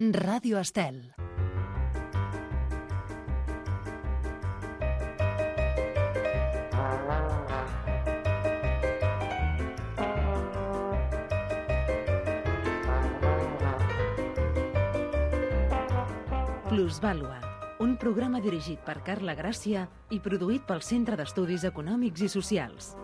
Ràdio Estel. Plusvàlua, un programa dirigit per Carla Gràcia i produït pel Centre d'Estudis Econòmics i Socials.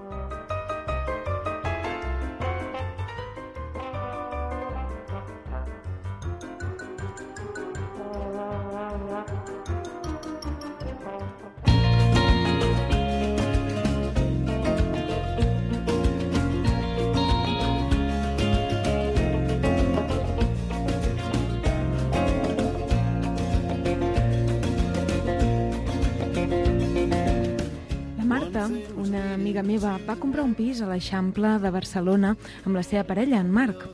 Una amiga meva va comprar un pis a l'Eixample de Barcelona amb la seva parella, en Marc.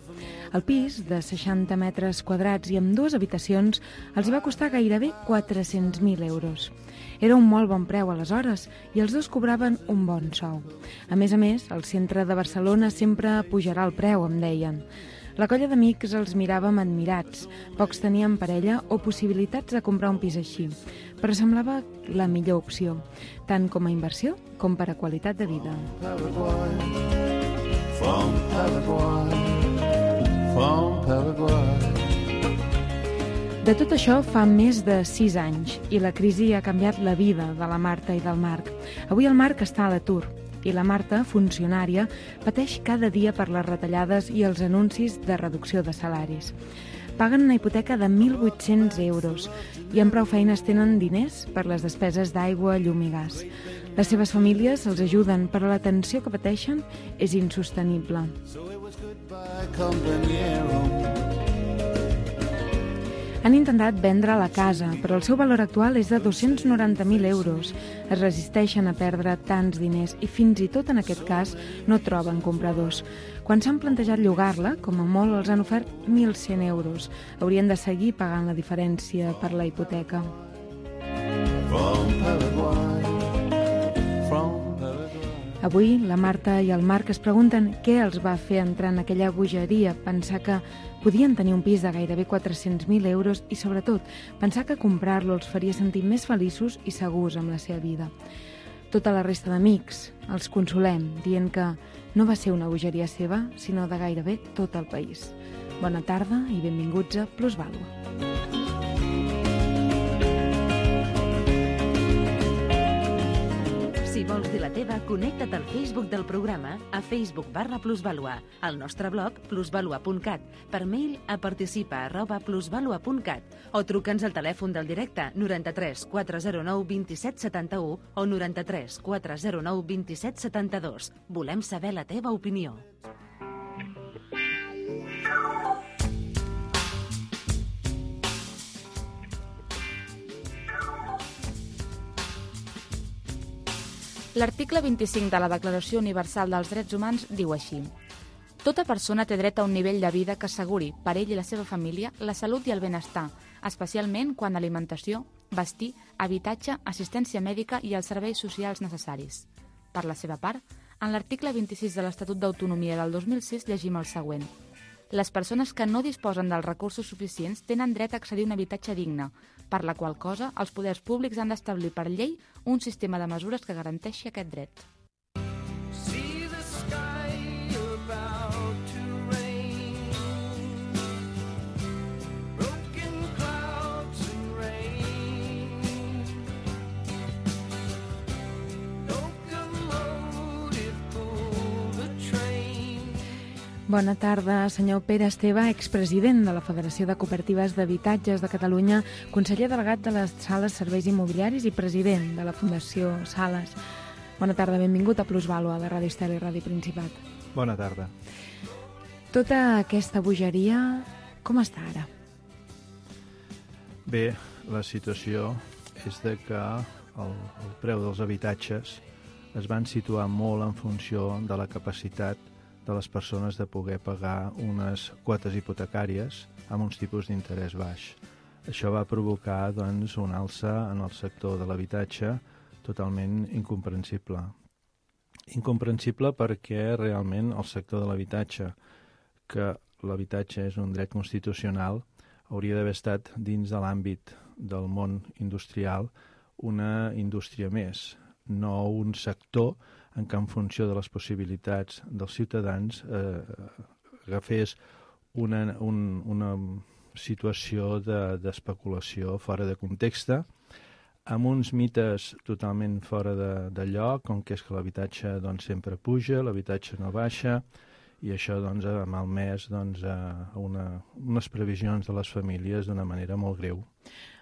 El pis, de 60 metres quadrats i amb 2 habitacions, els va costar gairebé 400.000 euros. Era un molt bon preu aleshores i els dos cobraven un bon sou. A més, el centre de Barcelona sempre pujarà el preu, em deien. La colla d'amics els miràvem admirats. Pocs tenien parella o possibilitats de comprar un pis així, però semblava la millor opció, tant com a inversió com per a qualitat de vida. De tot això fa més de 6 anys i la crisi ha canviat la vida de la Marta i del Marc. Avui el Marc està a l'atur i la Marta, funcionària, pateix cada dia per les retallades i els anuncis de reducció de salaris. Paguen una hipoteca de 1.800 euros i amb prou feines tenen diners per les despeses d'aigua, llum i gas. Les seves famílies els ajuden, però la tensió que pateixen és insostenible. Han intentat vendre la casa, però el seu valor actual és de 290.000 euros. Es resisteixen a perdre tants diners i fins i tot en aquest cas no troben compradors. Quan s'han plantejat llogar-la, com a molt els han ofert 1.100 euros. Haurien de seguir pagant la diferència per la hipoteca. Avui la Marta i el Marc es pregunten què els va fer entrar en aquella bogeria, pensar que podien tenir un pis de gairebé 400.000 euros i, sobretot, pensar que comprar-lo els faria sentir més feliços i segurs amb la seva vida. Tota la resta d'amics els consolem, dient que no va ser una bogeria seva, sinó de gairebé tot el país. Bona tarda i benvinguts a Plusvàlua. Si vols dir la teva, connecta't al Facebook del programa a Facebook/Plusvàlua, al nostre blog plusvalua.cat, per mail a participa@plusvalua.cat o truca'ns al telèfon del directe 93 409 27 71 o 93 409 27 72. Volem saber la teva opinió. L'article 25 de la Declaració Universal dels Drets Humans diu així: tota persona té dret a un nivell de vida que asseguri per ell i la seva família la salut i el benestar, especialment quan alimentació, vestir, habitatge, assistència mèdica i els serveis socials necessaris. Per la seva part, en l'article 26 de l'Estatut d'Autonomia del 2006 llegim el següent: les persones que no disposen dels recursos suficients tenen dret a accedir a un habitatge digne, per la qual cosa els poders públics han d'establir per llei un sistema de mesures que garanteixi aquest dret. Bona tarda, senyor Pere Esteve, expresident de la Federació de Cooperatives d'Habitatges de Catalunya, conseller delegat de les Sales Serveis Immobiliaris i president de la Fundació Sales. Bona tarda, benvingut a Plusvàlua de Ràdio Estel i Ràdio Principat. Bona tarda. Tota aquesta bogeria, com està ara? Bé, la situació és de que el preu dels habitatges es van situar molt en funció de la capacitat de les persones de poder pagar unes quotes hipotecàries amb uns tipus d'interès baix. Això va provocar, doncs, una alça en el sector de l'habitatge totalment incomprensible. Incomprensible perquè realment el sector de l'habitatge, que l'habitatge és un dret constitucional, hauria d'haver estat dins de l'àmbit del món industrial una indústria més, no un sector en què en funció de les possibilitats dels ciutadans agafés una situació d'especulació fora de context, amb uns mites totalment fora de lloc, com que és que l'habitatge doncs, sempre puja, l'habitatge no baixa, i això doncs, ha malmès doncs, unes previsions de les famílies d'una manera molt greu.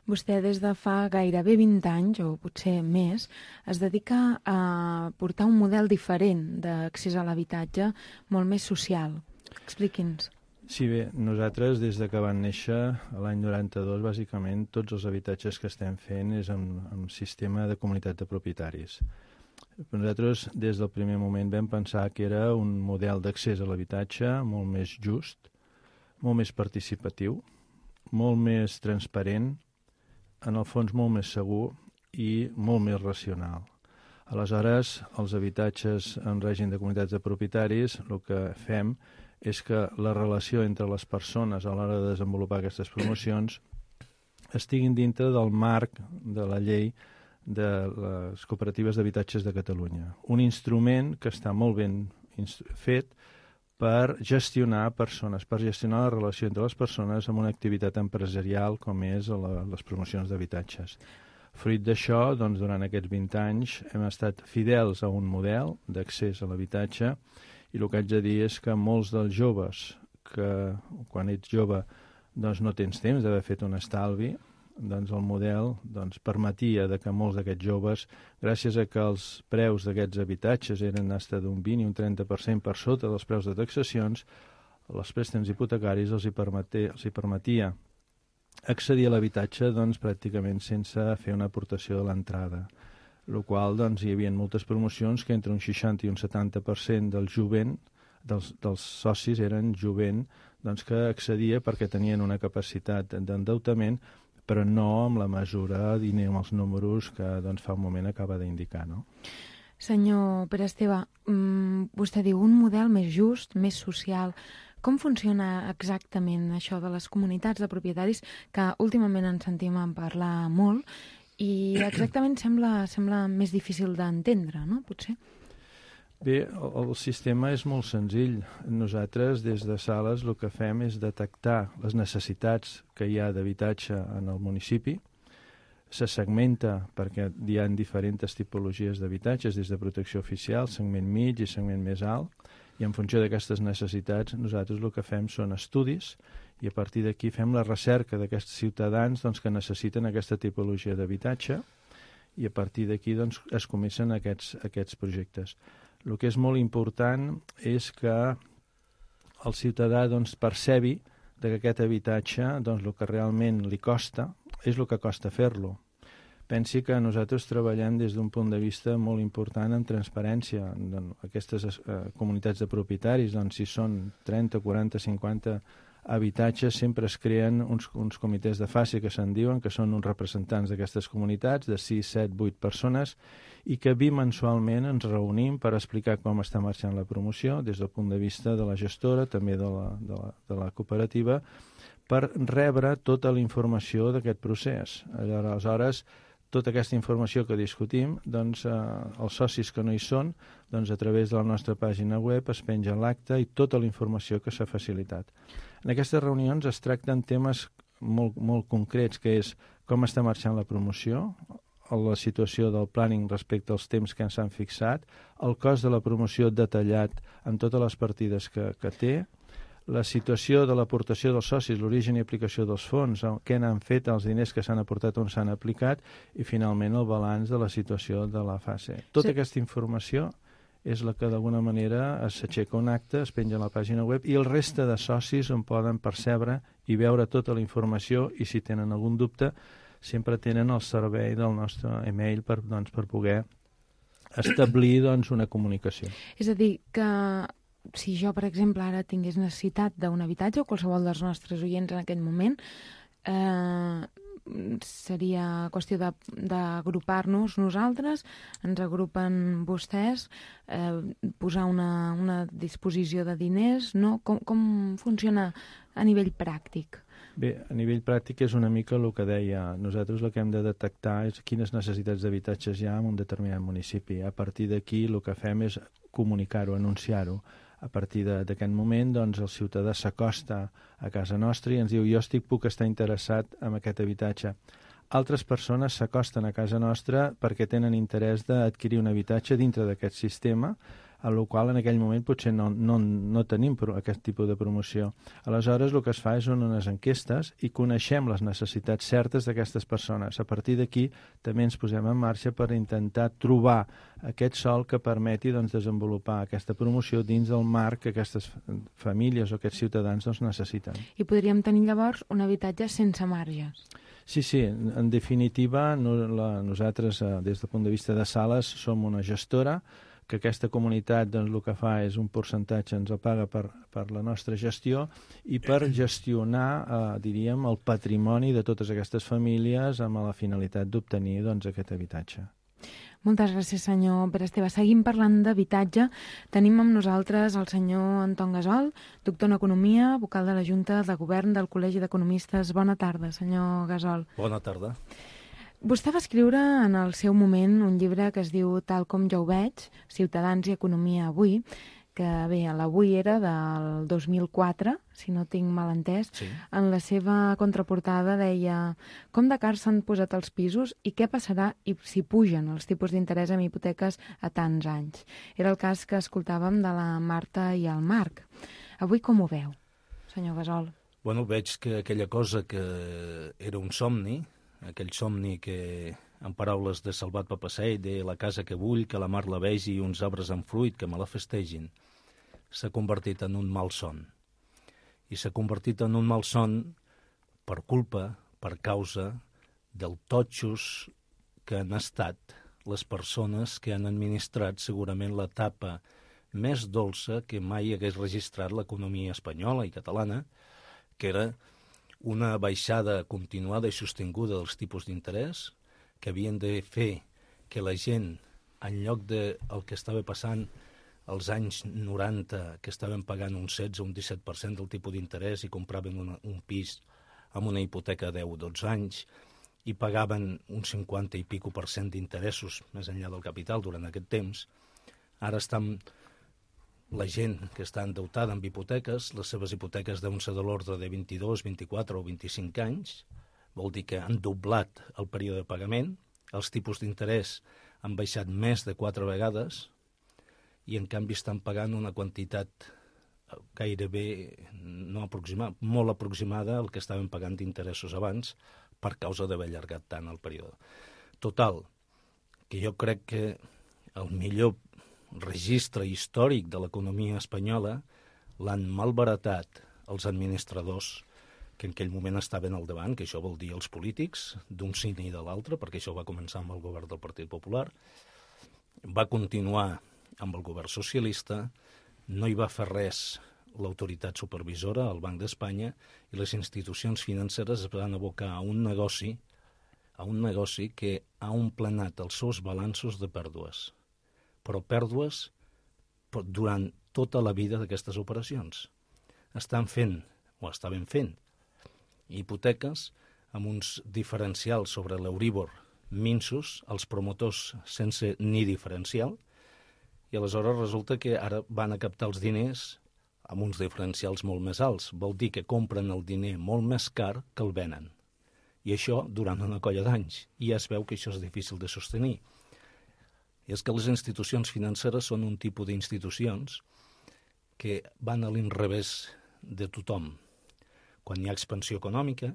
Vostè des de fa gairebé 20 anys, o potser més, es dedica a portar un model diferent d'accés a l'habitatge, molt més social. Expliqui'ns. Sí, bé, nosaltres des de que van néixer l'any 92, bàsicament tots els habitatges que estem fent és en sistema de comunitat de propietaris. Nosaltres des del primer moment vam pensar que era un model d'accés a l'habitatge molt més just, molt més participatiu, molt més transparent, en el fons molt més segur i molt més racional. Aleshores, els habitatges en règim de comunitats de propietaris, el que fem és que la relació entre les persones a l'hora de desenvolupar aquestes promocions estiguin dintre del marc de la llei de les cooperatives d'habitatges de Catalunya. Un instrument que està molt ben fet per gestionar persones, per gestionar la relació entre les persones amb una activitat empresarial com és les promocions d'habitatges. Fruit d'això, doncs, durant aquests 20 anys hem estat fidels a un model d'accés a l'habitatge i el que haig de dir és que molts dels joves que quan ets jove doncs no tens temps d'haver fet un estalvi, doncs el model permetia que molts d'aquests joves, gràcies a que els preus d'aquests habitatges eren fins d'un 20 i un 30% per sota dels preus de taxacions, els préstecs hipotecaris els hi permetia accedir a l'habitatge pràcticament sense fer una aportació de l'entrada. El qual hi havia moltes promocions que entre un 60 i un 70% del jovent, dels socis eren jovent que accedia perquè tenien una capacitat d'endeutament, però no amb la mesura ni amb els números que fa un moment acaba d'indicar, no? Senyor Pere Esteve, vostè diu un model més just, més social. Com funciona exactament això de les comunitats de propietaris, que últimament en sentim en parlar molt, i exactament sembla més difícil d'entendre, no? Potser? Bé, el sistema és molt senzill. Nosaltres, des de Sales, el que fem és detectar les necessitats que hi ha d'habitatge en el municipi. Se segmenta perquè hi ha diferents tipologies d'habitatges, des de protecció oficial, segment mig i segment més alt, i en funció d'aquestes necessitats nosaltres el que fem són estudis i a partir d'aquí fem la recerca d'aquests ciutadans que necessiten aquesta tipologia d'habitatge i a partir d'aquí es comencen aquests projectes. El que és molt important és que el ciutadà percebi que aquest habitatge el que realment li costa és el que costa fer-lo. Pensi que nosaltres treballem des d'un punt de vista molt important en transparència. Aquestes comunitats de propietaris, si són 30, 40, 50 habitatges, sempre es creen uns comitès de fase que se'n diuen, que són uns representants d'aquestes comunitats, de 6, 7, 8 persones, i que bimensualment ens reunim per explicar com està marxant la promoció, des del punt de vista de la gestora, també de la cooperativa, per rebre tota la informació d'aquest procés. Aleshores, tota aquesta informació que discutim, els socis que no hi són, a través de la nostra pàgina web es penja l'acte i tota la informació que s'ha facilitat. En aquestes reunions es tracten temes molt concrets, que és com està marxant la promoció, la situació del planning respecte als temps que ens han fixat, el cost de la promoció detallat en totes les partides que té, la situació de l'aportació dels socis, l'origen i aplicació dels fons, què n'han fet els diners que s'han aportat on s'han aplicat i finalment el balanç de la situació de la fase. Tota aquesta informació és la que d'alguna manera s'aixeca un acte, es penja a la pàgina web i el reste de socis en poden percebre i veure tota la informació i si tenen algun dubte sempre tenen el servei del nostre email per poder establir una comunicació. És a dir, que si jo, per exemple, ara tingués necessitat d'un habitatge o qualsevol dels nostres oients en aquest moment, seria qüestió d'agrupar-nos nosaltres, ens agrupen vostès, posar una disposició de diners, no? Com funciona a nivell pràctic? Bé, a nivell pràctic és una mica el que deia. Nosaltres el que hem de detectar és quines necessitats d'habitatges hi ha en un determinat municipi. A partir d'aquí el que fem és comunicar-ho, anunciar-ho. A partir d'aquest moment, doncs, el ciutadà s'acosta a casa nostra i ens diu jo puc estar interessat en aquest habitatge. Altres persones s'acosten a casa nostra perquè tenen interès d'adquirir un habitatge dintre d'aquest sistema, a la qual en aquell moment potser no tenim aquest tipus de promoció. Aleshores, el que es fa és unes enquestes i coneixem les necessitats certes d'aquestes persones. A partir d'aquí també ens posem en marxa per intentar trobar aquest sòl que permeti desenvolupar aquesta promoció dins del marc que aquestes famílies o aquests ciutadans necessiten. I podríem tenir llavors un habitatge sense marges. Sí, en definitiva, nosaltres, des del punt de vista de sales, som una gestora, que aquesta comunitat el que fa és un percentatge ens el paga per la nostra gestió i per gestionar, diríem, el patrimoni de totes aquestes famílies amb la finalitat d'obtenir aquest habitatge. Moltes gràcies, senyor Pere Esteve. Seguim parlant d'habitatge. Tenim amb nosaltres el senyor Anton Gasol, doctor en Economia, vocal de la Junta de Govern del Col·legi d'Economistes. Bona tarda, senyor Gasol. Bona tarda. Vostè va escriure en el seu moment un llibre que es diu Tal com jo ho veig, Ciutadans i Economia avui, que bé, l'avui era del 2004, si no tinc mal entès. Sí. En la seva contraportada deia com de cars s'han posat els pisos i què passarà si pugen els tipus d'interès en hipoteques a tants anys. Era el cas que escoltàvem de la Marta i el Marc. Avui com ho veu, senyor Gasol? Bueno, veig que aquella cosa que era un somni, aquell somni que, en paraules de Salvat Papasseit, de la casa que vull, que la mar la vegi i uns arbres amb fruit que me la festegin, s'ha convertit en un malson. I s'ha convertit en un malson per culpa, per causa del totxos que han estat les persones que han administrat segurament l'etapa més dolça que mai hagués registrat l'economia espanyola i catalana, que era una baixada continuada i sostinguda dels tipus d'interès, que havien de fer que la gent, en lloc del que estava passant als anys 90, que estaven pagant un 16 o un 17% del tipus d'interès i compraven un pis amb una hipoteca de 10 o 12 anys i pagaven un 50 i pico % d'interessos més enllà del capital durant aquest temps, ara estan la gent que està endeutada amb hipoteques, les seves hipoteques deuen ser de l'ordre de 22, 24 o 25 anys, vol dir que han doblat el període de pagament, els tipus d'interès han baixat més de 4 vegades i en canvi estan pagant una quantitat gairebé no aproximada, molt aproximada al que estaven pagant d'interessos abans per causa d'haver allargat tant el període. Total, que jo crec que el millor registre històric de l'economia espanyola l'han malbaratat els administradors que en aquell moment estaven al davant, que això vol dir els polítics, d'un cine i de l'altre, perquè això va començar amb el govern del Partit Popular, va continuar amb el govern socialista, no hi va fer res l'autoritat supervisora, el Banc d'Espanya, i les institucions financeres es van abocar a un negoci que ha omplenat els seus balanços de pèrdues, però pèrdues durant tota la vida d'aquestes operacions. Estaven fent hipoteques amb uns diferencials sobre l'Euríbor minsos, els promotors sense ni diferencial, i aleshores resulta que ara van a captar els diners amb uns diferencials molt més alts. Vol dir que compren el diner molt més car que el venen. I això durant una colla d'anys. I ja es veu que això és difícil de sostenir. I és que les institucions financeres són un tipus d'institucions que van a l'inrevés de tothom. Quan hi ha expansió econòmica,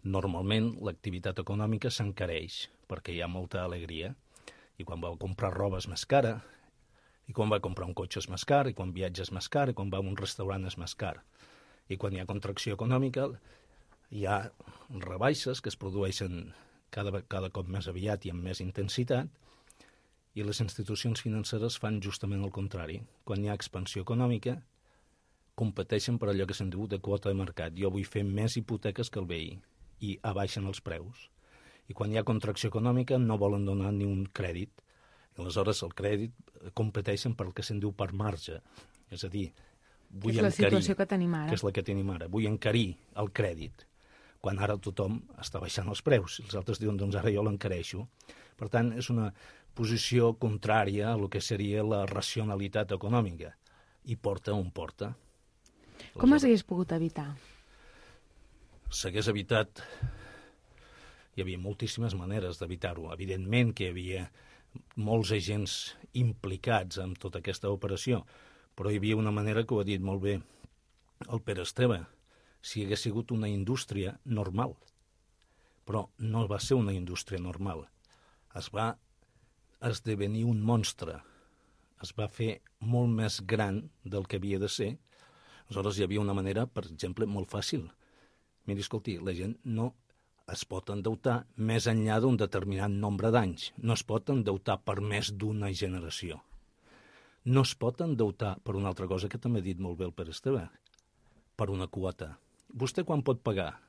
normalment l'activitat econòmica s'encareix perquè hi ha molta alegria. I quan va comprar roba és més cara, i quan va comprar un cotxe és més car, i quan viatja és més car, i quan va a un restaurant és més car. I quan hi ha contracció econòmica hi ha rebaixes que es produeixen cada cop més aviat i amb més intensitat, i les institucions financeres fan justament el contrari. Quan hi ha expansió econòmica, competeixen per allò que se'n diu de quota de mercat. Jo vull fer més hipoteques que el veí, i abaixen els preus. I quan hi ha contracció econòmica no volen donar ni un crèdit. I aleshores el crèdit competeixen per el que se'n diu per marge. És a dir, vull encarir... És la situació que tenim ara. Que és la que tenim ara. Vull encarir el crèdit. quan ara tothom està baixant els preus. Els altres diuen, doncs ara jo l'encareixo. Per tant, és una posició contrària a el que seria la racionalitat econòmica, i porta on porta. Com s'hagués pogut evitar? S'hagués evitat... Hi havia moltíssimes maneres d'evitar-ho. Evidentment que hi havia molts agents implicats en tota aquesta operació, però hi havia una manera que ho ha dit molt bé el Pere Esteve, si hagués sigut una indústria normal. Però no va ser una indústria normal. Es va esdevenir un monstre. Es va fer molt més gran del que havia de ser. Aleshores hi havia una manera, per exemple, molt fàcil. Miri, escolti, la gent no es pot endeutar més enllà d'un determinat nombre d'anys. No es pot endeutar per més d'una generació. No es pot endeutar per una altra cosa que també ha dit molt bé el Pere Esteve, per una quota. Vostè quan pot pagar?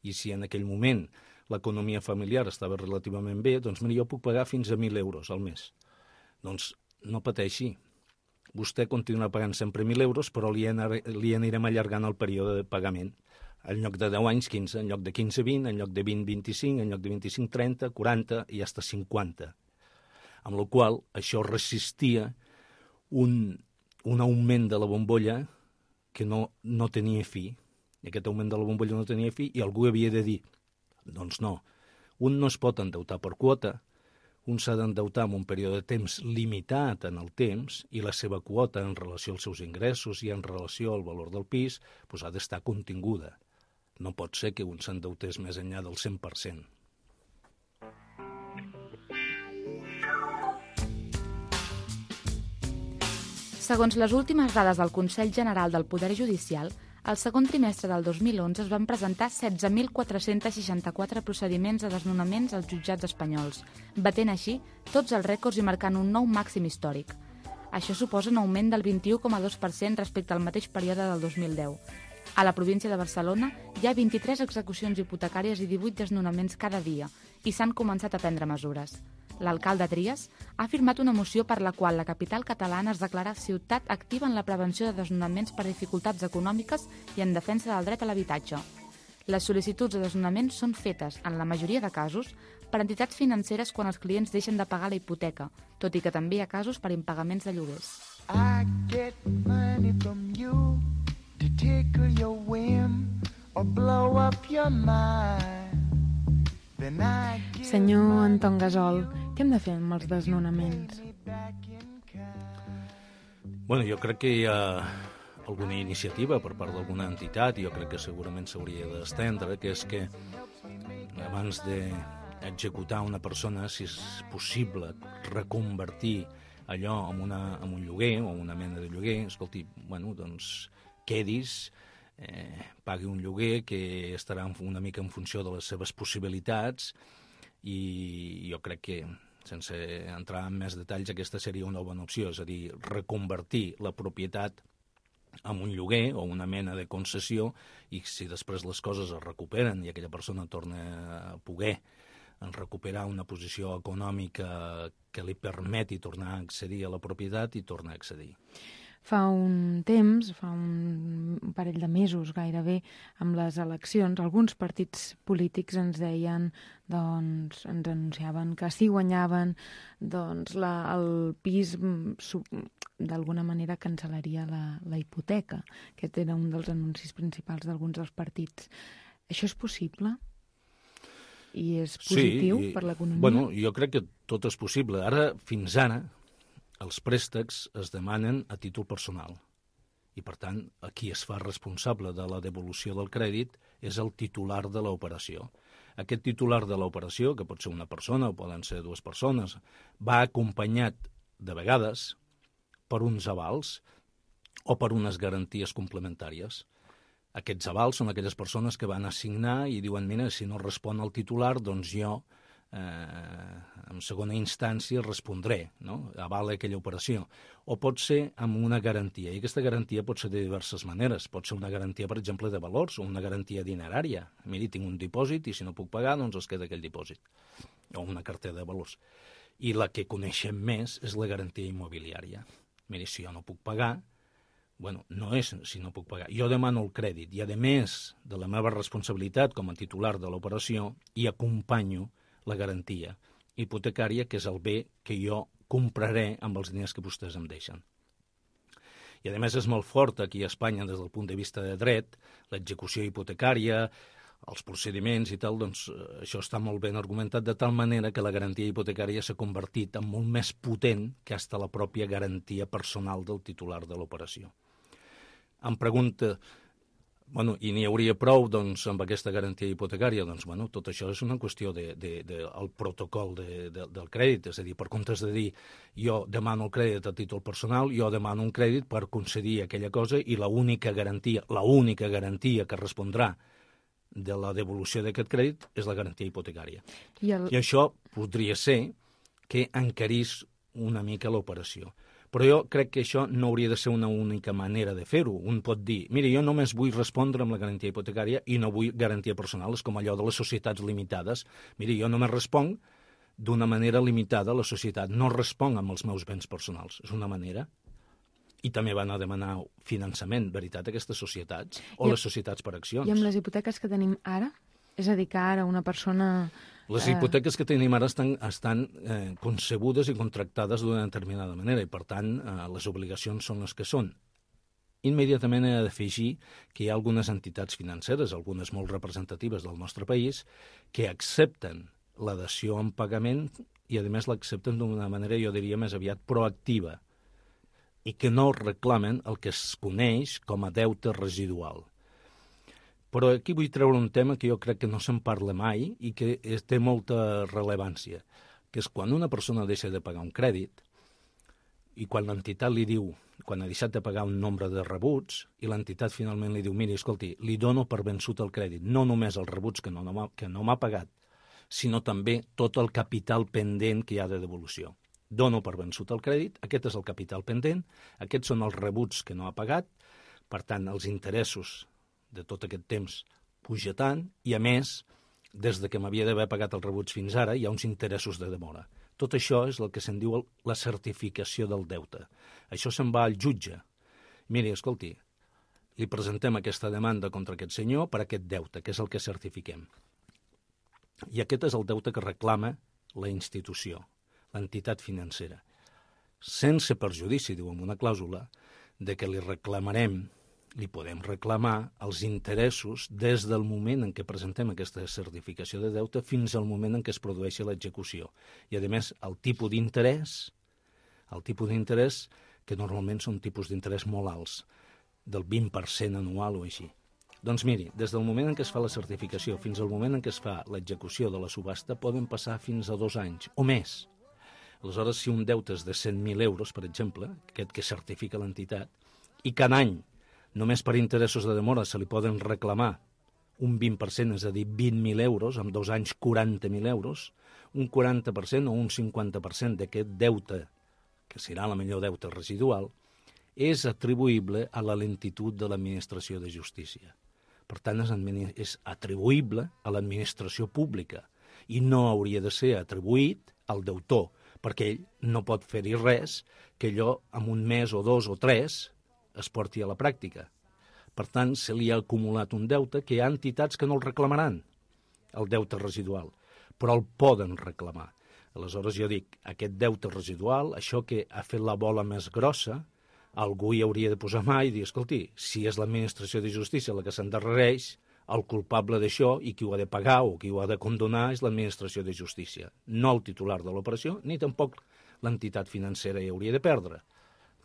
I si en aquell moment l'economia familiar estava relativament bé, doncs mira, jo puc pagar fins a 1.000 euros al mes. Doncs no pateixi. Vostè continuarà pagant sempre 1.000 euros, però li anirem allargant el període de pagament. En lloc de 10 anys, 15, en lloc de 15, 20, en lloc de 20, 25, en lloc de 25, 30, 40 i fins a 50. Amb la qual això resistia un augment de la bombolla que no tenia fi. I aquest augment de la bombolla no tenia fi i algú havia de dir, doncs no, un no es pot endeutar per quota, un s'ha d'endeutar en un període de temps limitat en el temps i la seva quota en relació als seus ingressos i en relació al valor del pis doncs ha d'estar continguda. No pot ser que un s'endeutés més enllà del 100%. Segons les últimes dades del Consell General del Poder Judicial, al segon trimestre del 2011 es van presentar 16.464 procediments de desnonaments als jutjats espanyols, batent així tots els rècords i marcant un nou màxim històric. Això suposa un augment del 21,2% respecte al mateix període del 2010. A la província de Barcelona hi ha 23 execucions hipotecàries i 18 desnonaments cada dia i s'han començat a prendre mesures. L'alcalde Trias ha firmat una moció per la qual la capital catalana es declara ciutat activa en la prevenció de desnonaments per dificultats econòmiques i en defensa del dret a l'habitatge. Les sol·licituds de desnonament són fetes, en la majoria de casos, per entitats financeres quan els clients deixen de pagar la hipoteca, tot i que també hi ha casos per impagaments de lloguers. I get money from you to tickle your whim or blow up your mind. Senyor Anton Gasol, què hem de fer amb els desnonaments? Bueno, jo crec que hi ha alguna iniciativa per part d'alguna entitat, i jo crec que segurament s'hauria d'estendre, que és que abans d'executar una persona, si és possible reconvertir allò en un lloguer o una mena de lloguer, escolti, bueno, doncs quedis, pagui un lloguer que estarà una mica en funció de les seves possibilitats, i jo crec que, sense entrar en més detalls, aquesta seria una bona opció, és a dir, reconvertir la propietat en un lloguer o una mena de concessió, i si després les coses es recuperen i aquella persona torna a poder recuperar una posició econòmica que li permeti tornar a accedir a la propietat, i torna a accedir. Fa un temps, fa un parell de mesos gairebé, amb les eleccions, alguns partits polítics ens deien, doncs, ens anunciaven que si guanyaven, doncs el pis d'alguna manera cancel·laria la hipoteca. Aquest era un dels anuncis principals d'alguns dels partits. Això és possible? I és positiu per l'economia? Bueno, jo crec que tot és possible. Ara, fins ara, els préstecs es demanen a títol personal i, per tant, qui es fa responsable de la devolució del crèdit és el titular de l'operació. Aquest titular de l'operació, que pot ser una persona o poden ser dues persones, va acompanyat, de vegades, per uns avals o per unes garanties complementàries. Aquests avals són aquelles persones que van assignar i diuen, mira, si no respon el titular, doncs jo en segona instància respondré, no? Avala aquella operació. O pot ser amb una garantia, i aquesta garantia pot ser de diverses maneres. Pot ser una garantia, per exemple, de valors, o una garantia dinerària. Miri, tinc un dipòsit i si no puc pagar, doncs es queda aquell dipòsit. O una cartera de valors. I la que coneixem més és la garantia immobiliària. Miri, si jo no puc pagar, Bueno, no és si no puc pagar. Jo demano el crèdit i, a més de la meva responsabilitat com a titular de l'operació, hi acompanyo la garantia hipotecària, que és el bé que jo compraré amb els diners que vostès em deixen. I, a més, és molt fort aquí a Espanya, des del punt de vista de dret, l'execució hipotecària, els procediments i tal, doncs això està molt ben argumentat, de tal manera que la garantia hipotecària s'ha convertit en molt més potent que hasta la pròpia garantia personal del titular de l'operació. Em pregunta, bueno, i n'hi hauria prou doncs, amb aquesta garantia hipotecària? Doncs, bueno, tot això és una qüestió del protocol del crèdit, és a dir, per comptes de dir jo demano el crèdit a títol personal, jo demano un crèdit per concedir aquella cosa i l'única garantia que respondrà de la devolució d'aquest crèdit és la garantia hipotecària. I això podria ser que encarís una mica l'operació. Però jo crec que això no hauria de ser una única manera de fer-ho. Un pot dir, mira, jo només vull respondre amb la garantia hipotecària i no vull garantia personal. És com allò de les societats limitades. Mira, jo només responc d'una manera limitada a la societat. No responc amb els meus béns personals. És una manera. I també van a demanar finançament, veritat, aquestes societats, o les societats per accions. I amb les hipoteques que tenim ara? És a dir, que ara una persona... Les hipoteques que tenim ara estan concebudes i contractades d'una determinada manera i, per tant, les obligacions són les que són. Immediatament he d'afegir que hi ha algunes entitats financeres, algunes molt representatives del nostre país, que accepten la dació en pagament i, a més, l'accepten d'una manera, jo diria, més aviat proactiva, i que no reclamen el que es coneix com a deute residual. Però aquí vull treure un tema que jo crec que no se'n parla mai i que té molta rellevància, que és quan una persona deixa de pagar un crèdit i quan l'entitat li diu, quan ha deixat de pagar un nombre de rebuts, i l'entitat finalment li diu, miri, escolti, li dono per vençut el crèdit, no només els rebuts que no m'ha pagat, sinó també tot el capital pendent que hi ha de devolució. Dono per vençut el crèdit, aquest és el capital pendent, aquests són els rebuts que no ha pagat, per tant, els interessos de tot aquest temps puja tant, i a més, des que m'havia d'haver pagat els rebuts fins ara, hi ha uns interessos de demora. Tot això és el que se'n diu la certificació del deute. Això se'n va al jutge. Miri, escolti, li presentem aquesta demanda contra aquest senyor per aquest deute, que és el que certifiquem. I aquest és el deute que reclama la institució, l'entitat financera, sense perjudici, diu en una clàusula, de que li podem reclamar els interessos des del moment en què presentem aquesta certificació de deute fins al moment en què es produeixi l'execució. I, a més, el tipus d'interès, que normalment són tipus d'interès molt alts, del 20% anual o així. Doncs miri, des del moment en què es fa la certificació fins al moment en què es fa l'execució de la subhasta poden passar fins a 2 anys o més. Aleshores, si un deute és de 100.000 euros, per exemple, aquest que certifica l'entitat, i cada any, només per interessos de demora, se li poden reclamar un 20%, és a dir, 20.000 euros, en 2 anys 40.000 euros, un 40% o un 50% d'aquest deute, que serà la millor deute residual, és atribuïble a la lentitud de l'administració de justícia. Per tant, és atribuïble a l'administració pública i no hauria de ser atribuït al deutor, perquè ell no pot fer-hi res que allò en un mes o 2 o 3 es porti a la pràctica. Per tant, se li ha acumulat un deute que hi ha entitats que no el reclamaran, el deute residual, però el poden reclamar. Aleshores, jo dic, aquest deute residual, això que ha fet la bola més grossa, algú hi hauria de posar mà i dir, escolti, si és l'administració de justícia la que s'endarrereix, el culpable d'això i qui ho ha de pagar o qui ho ha de condonar és l'administració de justícia, no el titular de l'operació, ni tampoc l'entitat financera hi hauria de perdre,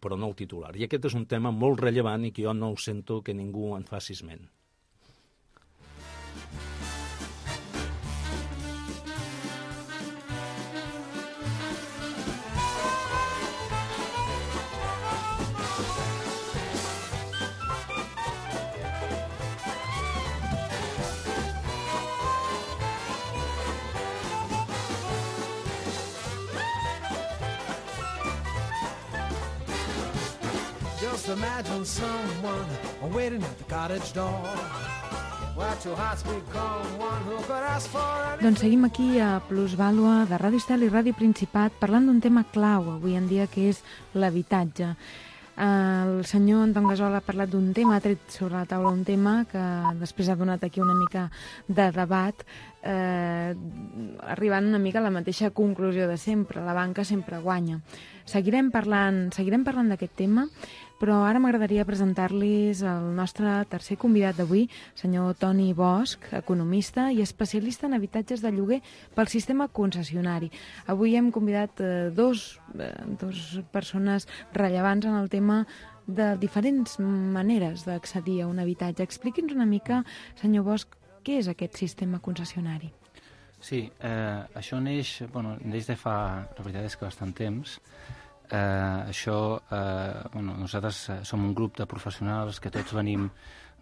però no el titular. I aquest és un tema molt rellevant i que jo no ho sento que ningú en faci esment. Just imagine someone waiting at the cottage door. Watch your heart speak calm, one who could ask for anything. Doncs seguim aquí a Plusvàlua de Ràdio Estel i Ràdio Principat parlant d'un tema clau avui en dia que és l'habitatge. El senyor Anton Gasol ha parlat d'un tema, ha tret sobre la taula un tema que després ha donat aquí una mica de debat, arribant una mica a la mateixa conclusió de sempre, la banca sempre guanya. Seguirem parlant d'aquest tema, però ara m'agradaria presentar-los el nostre tercer convidat d'avui, senyor Toni Bosch, economista i especialista en habitatges de lloguer pel sistema concessionari. Avui hem convidat dos persones rellevants en el tema de diferents maneres d'accedir a un habitatge. Expliqui'ns una mica, senyor Bosch, què és aquest sistema concessionari? Sí, això neix de fa, la veritat és que bastant temps. Nosaltres som un grup de professionals que tots venim,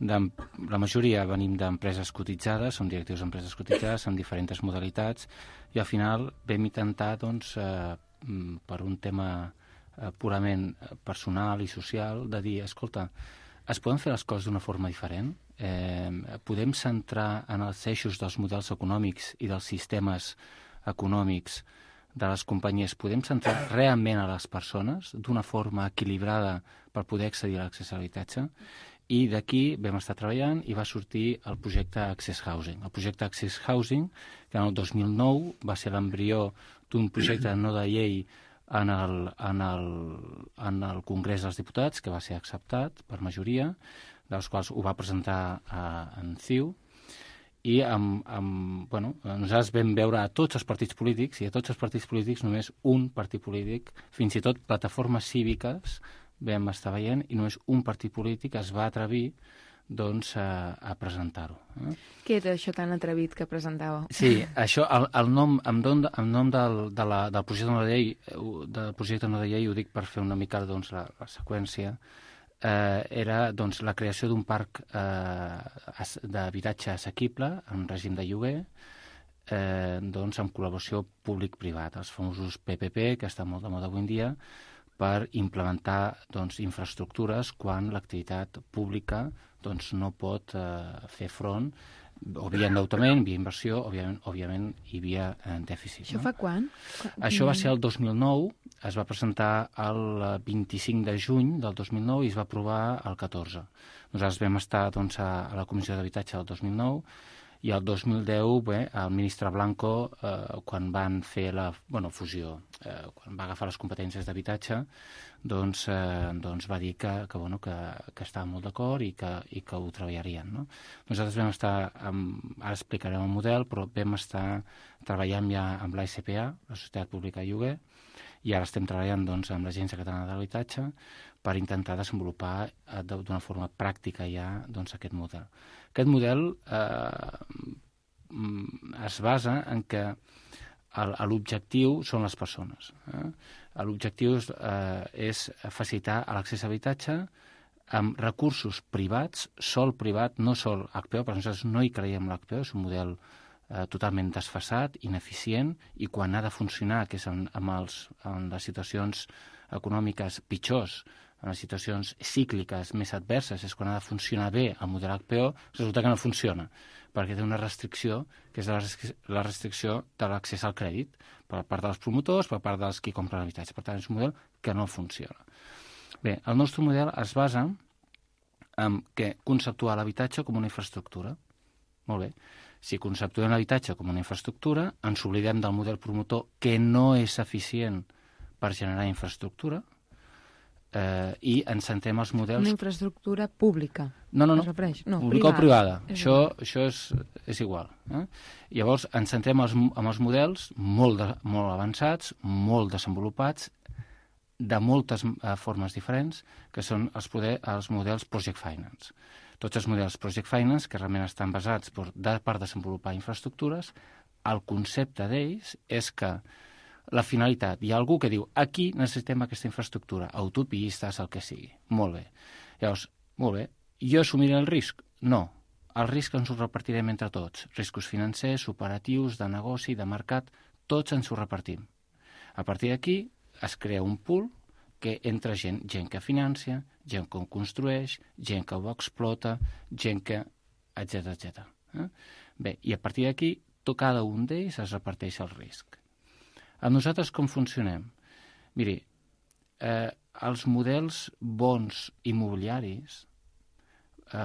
la majoria venim d'empreses cotitzades, som directius d'empreses cotitzades amb diferents modalitats, i al final vam intentar, per un tema purament personal i social, de dir, escolta, es poden fer les coses d'una forma diferent? Podem centrar en els eixos dels models econòmics i dels sistemes econòmics de les companyies, podem centrar realment a les persones d'una forma equilibrada per poder accedir a l'accés a l'habitatge, i d'aquí vam estar treballant i va sortir el projecte Access Housing. El projecte Access Housing, que en el 2009 va ser l'embrió d'un projecte no de llei en el Congrés dels Diputats, que va ser acceptat per majoria, dels quals ho va presentar en CiU, i nosaltres vam veure a tots els partits polítics, i a tots els partits polítics només un partit polític, fins i tot plataformes cíviques vam estar veient, i només un partit polític es va atrevir a presentar-ho. Què era això tan atrevit que presentava? Sí, això, el nom del projecte no de llei, ho dic per fer una mica la seqüència, era la creació d'un parc d'habitatge assequible en règim de lloguer, amb col·laboració públic-privat, els famosos PPP, que estan molt de moda avui en dia, per implementar infraestructures quan l'activitat pública no pot fer front, o via endeutament, via inversió, òbviament, i via dèficit. Això fa quan? Això va ser el 2009, es va presentar el 25 de juny del 2009 i es va aprovar el 14. Nosaltres vam estar a la Comissió d'Habitatge del 2009, i el 2010, el ministre Blanco, quan van fer la fusió, quan va agafar les competències d'habitatge, va dir que estava molt d'acord i que ho treballarien. Nosaltres vam estar, ara explicarem el model, però vam estar treballant ja amb l'ASPA, la Societat Pública de Lloguer, i ara estem treballant amb l'Agència Catalana de l'Habitatge per intentar desenvolupar d'una forma pràctica ja aquest model. Aquest model es basa en que l'objectiu són les persones. L'objectiu és facilitar l'accés a l'habitatge amb recursos privats, sol privat, no sol HPO, perquè nosaltres no hi creiem en l'HPO, és un model totalment desfasat, ineficient, i quan ha de funcionar, que és en les situacions econòmiques pitjors, en les situacions cícliques més adverses, és quan ha de funcionar bé el model HPO, resulta que no funciona, perquè té una restricció, que és la restricció de l'accés al crèdit, per part dels promotors, per part dels qui compren l'habitatge. Per tant, és un model que no funciona. Bé, el nostre model es basa en conceptuar l'habitatge com una infraestructura. Molt bé. Si conceptuem l'habitatge com una infraestructura, ens oblidem del model promotor, que no és eficient per generar infraestructura, i ens centrem els models... Una infraestructura pública. No, pública o privada. Això és igual. Llavors, ens centrem en els models molt avançats, molt desenvolupats, de moltes formes diferents, que són els models Project Finance. Tots els models Project Finance, que realment estan basats per desenvolupar infraestructures, el concepte d'ells és que la finalitat, hi ha algú que diu aquí necessitem aquesta infraestructura, autopistes, el que sigui. Molt bé. Llavors, molt bé, jo assumiré el risc? No. El risc ens ho repartirem entre tots. Riscos financers, operatius, de negoci, de mercat, tots ens ho repartim. A partir d'aquí es crea un pool que entra gent que financia, gent que ho construeix, gent que ho explota, gent que... etc. Bé, i a partir d'aquí cada un d'ells es reparteix el risc. A nosaltres com funcionem? Miri, els models bons immobiliaris,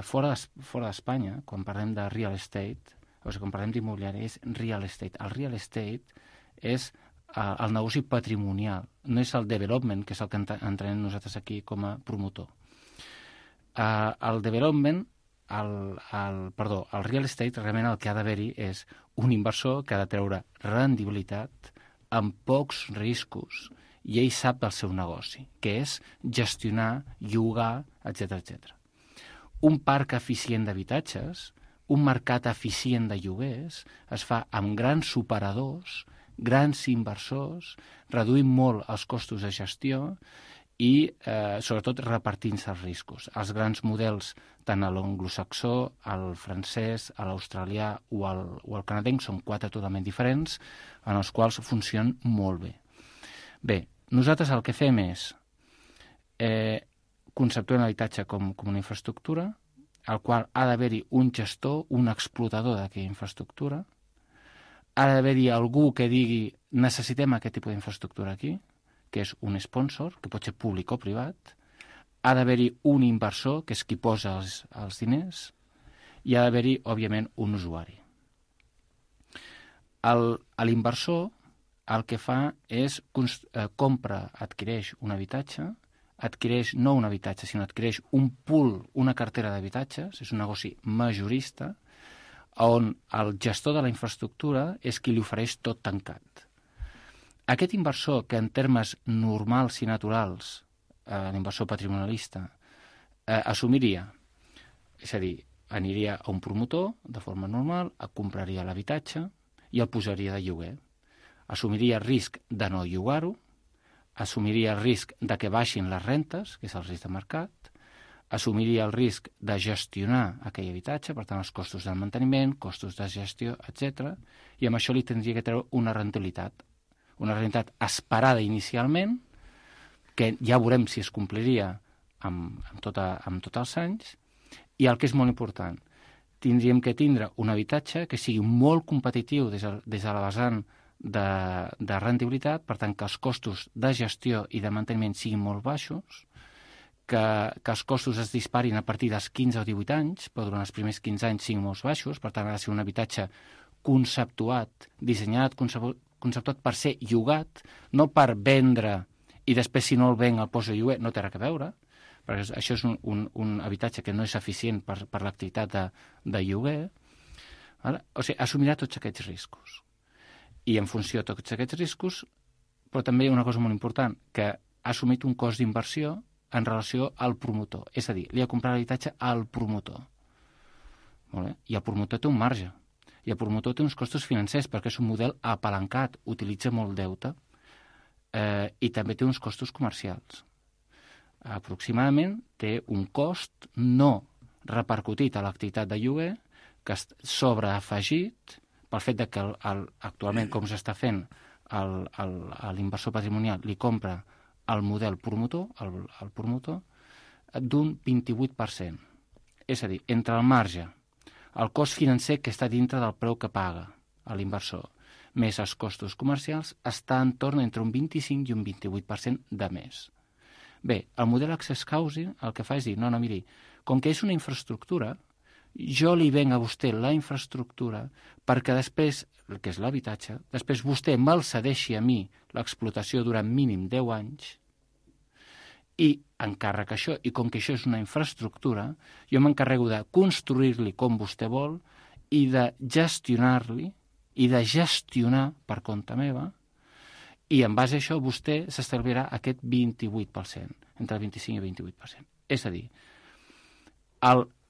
fora d'Espanya, quan parlem de real estate, o sigui, quan parlem d'immobiliari, és real estate. El real estate és el negoci patrimonial, no és el development, que és el que entrenem nosaltres aquí com a promotor. El development, el real estate, realment el que ha d'haver-hi és un inversor que ha de treure rendibilitat amb pocs riscos, i ell sap del seu negoci, que és gestionar, llogar, etc. Un parc eficient d'habitatges, un mercat eficient de lloguers, es fa amb grans operadors, grans inversors, reduint molt els costos de gestió i, sobretot, repartint-se els riscos. Els grans models, tant a l'anglosaxó, al francès, a l'australià o al canadenc, són 4 totalment diferents, en els quals funcionen molt bé. Bé, nosaltres el que fem és conceptuar l'habitatge com una infraestructura, al qual ha d'haver-hi un gestor, un explotador d'aquella infraestructura, ha d'haver-hi algú que digui necessitem aquest tipus d'infraestructura aquí, que és un sponsor, que pot ser públic o privat, ha d'haver-hi un inversor, que és qui posa els diners, i ha d'haver-hi, òbviament, un usuari. L'inversor el que fa és adquireix un habitatge, adquireix no un habitatge, sinó adquireix un pool, una cartera d'habitatges, és un negoci majorista, on el gestor de la infraestructura és qui li ofereix tot tancat. Aquest inversor, que en termes normals i naturals, l'inversor patrimonialista, assumiria, és a dir, aniria a un promotor de forma normal, compraria l'habitatge i el posaria de lloguer. Assumiria el risc de no llogar-ho, assumiria el risc de que baixin les rentes, que és el risc de mercat, assumiria el risc de gestionar aquell habitatge, per tant, els costos del manteniment, costos de gestió, etc. I amb això li tindria que treure una rentabilitat esperada inicialment, que ja veurem si es compliria amb tots els anys, i el que és molt important, tindríem que tindre un habitatge que sigui molt competitiu des de la vessant de rendibilitat, per tant, que els costos de gestió i de manteniment siguin molt baixos, que els costos es disparin a partir dels 15 o 18 anys, però durant els primers 15 anys siguin molt baixos, per tant, ha de ser un habitatge conceptuat, dissenyat, conceptuat per ser llogat, no per vendre i després, si no el venc, el poso a lloguer, no té res a veure, perquè això és un habitatge que no és eficient per l'activitat de lloguer. O sigui, assumirà tots aquests riscos. I en funció de tots aquests riscos, però també hi ha una cosa molt important, que ha assumit un cost d'inversió en relació al promotor. És a dir, li ha comprat l'habitatge al promotor. Molt bé? I el promotor té un marge. I el promotor té uns costos financers, perquè és un model apalancat, utilitza molt deute, i també té uns costos comercials. Aproximadament té un cost no repercutit a l'activitat de lloguer, que sobreafegit pel fet que actualment, com s'està fent, l'inversor patrimonial li compra el model promotor, el promotor, d'un 28%. És a dir, entre el marge, el cost financer que està dintre del preu que paga l'inversor, més els costos comercials, està en torn entre un 25 i un 28% de més. Bé, el model Access Housing el que fa és dir, no, miri, com que és una infraestructura, jo li venc a vostè la infraestructura perquè després, el que és l'habitatge, després vostè me'l cedeixi a mi l'explotació durant mínim 10 anys i encàrrec això, i com que això és una infraestructura, jo m'encarrego de construir-li com vostè vol i de gestionar-li i de gestionar per compte meva, i en base a això vostè s'estalviarà aquest 28%, entre el 25 i el 28%. És a dir,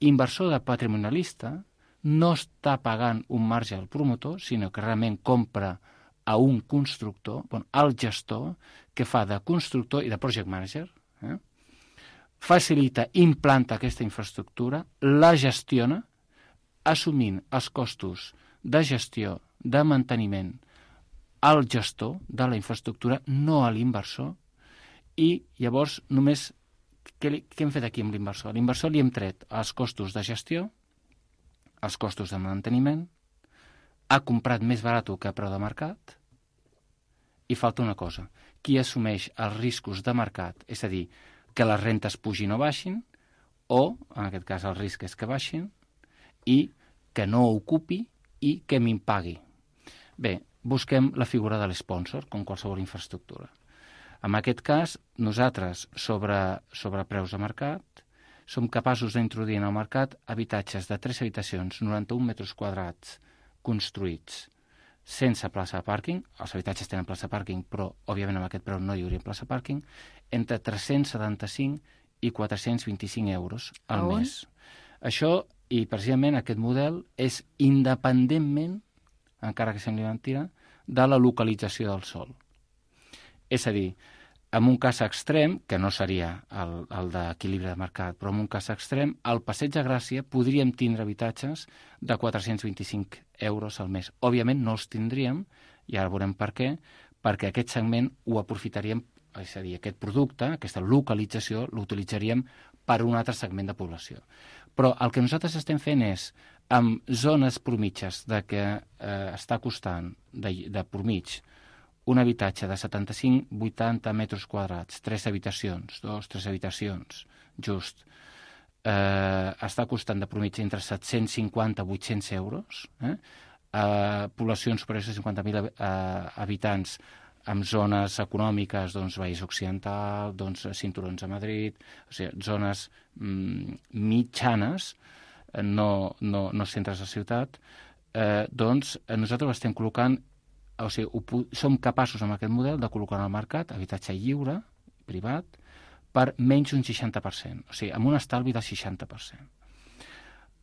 l'inversor de patrimonialista no està pagant un marge al promotor, sinó que realment compra a un constructor, al gestor, que fa de constructor i de project manager, facilita, implanta aquesta infraestructura, la gestiona, assumint els costos de gestió, de manteniment, al gestor de la infraestructura, no a l'inversor, i llavors només què hem fet aquí amb l'inversor? A l'inversor li hem tret els costos de gestió, els costos de manteniment, ha comprat més barat que a preu de mercat, i falta una cosa, qui assumeix els riscos de mercat, és a dir, que les rentes pugin o baixin, o, en aquest cas, el risc és que baixin, i que no ocupi i que m'impagui. Bé, busquem la figura de l'esponsor, com qualsevol infraestructura. En aquest cas, nosaltres, sobre preus de mercat, som capaços d'introduir en el mercat habitatges de 3 habitacions, 91 metres quadrats, construïts sense plaça de pàrquing. Els habitatges tenen plaça de pàrquing, però, òbviament, amb aquest preu no hi hauria plaça de pàrquing, entre 375 i 425 euros al mes. Això, i precisament aquest model, és independentment, encara que sembli mentira, de la localització del sòl. És a dir, en un cas extrem, que no seria el d'equilibri de mercat, però en un cas extrem, al Passeig de Gràcia podríem tindre habitatges de 425 euros al mes. Òbviament no els tindríem, i ara veurem per què, perquè aquest segment ho aprofitaríem, és a dir, aquest producte, aquesta localització, l'utilitzaríem per un altre segment de població. Però el que nosaltres estem fent és, amb zones promitges de que està costant de promig un habitatge de 75-80 metres quadrats, 3 habitacions, 3 habitacions, just, està costant de promig entre 750 i 800 euros, poblacions superiors a 50.000 habitants amb zones econòmiques, doncs, Vallès Occidental, doncs, cinturons a Madrid, o sigui, zones mitjanes, no centres de ciutat, doncs nosaltres estem col·locant, o sigui, som capaços amb aquest model de col·locar al mercat habitatge lliure, privat, per menys d'un 60%, o sigui, amb un estalvi del 60%.